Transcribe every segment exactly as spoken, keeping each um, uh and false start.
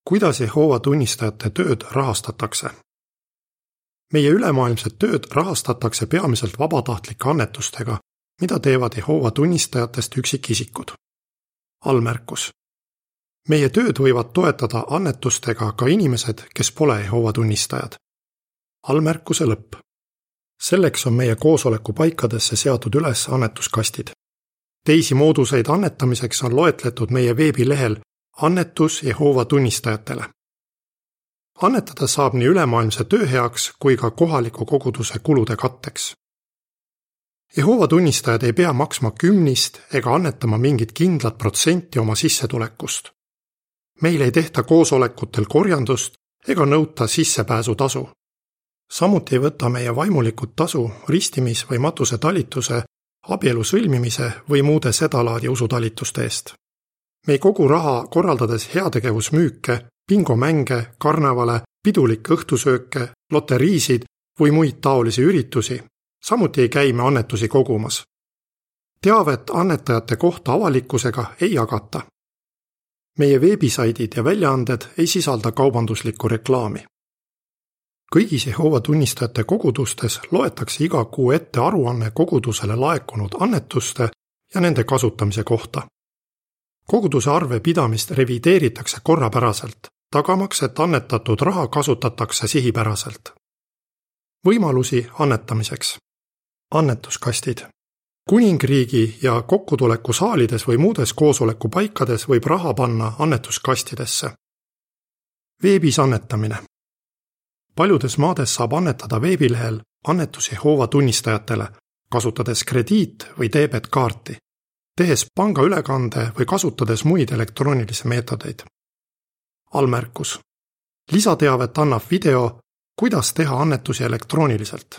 Kuidas Jehoova tunnistajate tööd rahastatakse? Meie ülemaailmset tööd rahastatakse peamiselt vabatahtlike annetustega, mida teevad Jehoova tunnistajatest üksikisikud. Allmärkus. Meie tööd võivad toetada annetustega ka inimesed, kes pole Jehoova tunnistajad. Allmärkuse lõpp. Selleks on meie koosoleku paikadesse seatud üles annetuskastid. Teisi mooduseid annetamiseks on loetletud meie veebilehel Annetus Jehoova tunnistajatele. Annetada saab nii ülemaailmse töö heaks kui ka kohaliku koguduse kulude katteks. Jehoova tunnistajad ei pea maksma kümnist ega annetama mingit kindlat protsenti oma sissetulekust. Meil ei tehta koosolekutel korjandust ega nõuta sissepääsutasu. Samuti ei võta meie vaimulikud tasu ristimis- või matusetalituse, abielu sõlmimise või muude sedalaadi usutalituste eest. Me ei kogu raha korraldades heategevusmüüke, bingomänge, karnevale, pidulikke õhtusööke, loteriisid või muid taolisi üritusi. Samuti ei käi me annetusi kogumas. Teavet annetajate kohta avalikkusega ei jagata. Meie veebisaidid ja väljaanded ei sisalda kaubanduslikku reklaami. Kõigis Jehoova tunnistajate kogudustes loetakse iga kuu ette aruanne kogudusele laekunud annetuste ja nende kasutamise kohta. Koguduse arve pidamist revideeritakse korrapäraselt, tagamaks, et annetatud raha kasutatakse sihipäraselt. Võimalusi annetamiseks. Annetuskastid. Kuningriigi ja kokkutuleku saalides või muudes koosoleku paikades võib raha panna annetuskastidesse. Veebis annetamine. Paljudes maades saab annetada veebilehel Annetus Jehoova tunnistajatele, kasutades krediit- või debetkaarti, tehes pangaülekande või kasutades muid elektroonilisi meetodeid. Allmärkus. Lisateavet annab video, kuidas teha annetusi elektrooniliselt.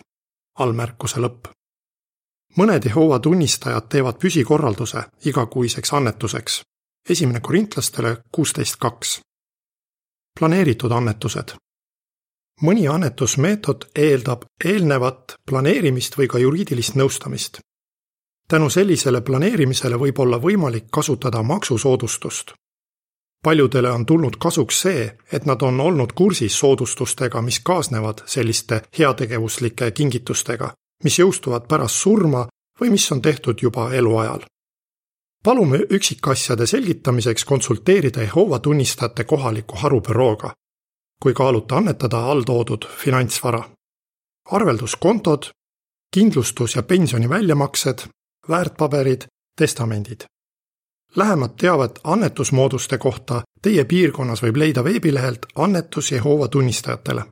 Allmärkuse lõpp. Mõned Jehoova tunnistajad teevad püsikorralduse igakuiseks annetuseks. Esimene korintlastele kuusteist kaks. Planeeritud annetused. Mõni annetusmeetod eeldab eelnevat planeerimist või ka juriidilist nõustamist. Tänu sellisele planeerimisele võib olla võimalik kasutada maksusoodustust. Paljudele on tulnud kasuks see, et nad on olnud kursis soodustustega, mis kaasnevad selliste heategevuslike kingitustega, mis jõustuvad pärast surma või mis on tehtud juba eluajal. Palume üksikasjade selgitamiseks konsulteerida Jehoova tunnistajate kohaliku harubürooga, kui kaaluta annetada alltoodud finantsvara. Arvelduskontod, kindlustus- ja pensioni väljamaksed, väärtpaberid, testamendid. Lähemat teavet annetusmooduste kohta teie piirkonnas võib leida veebilehelt Annetus Jehoova tunnistajatele.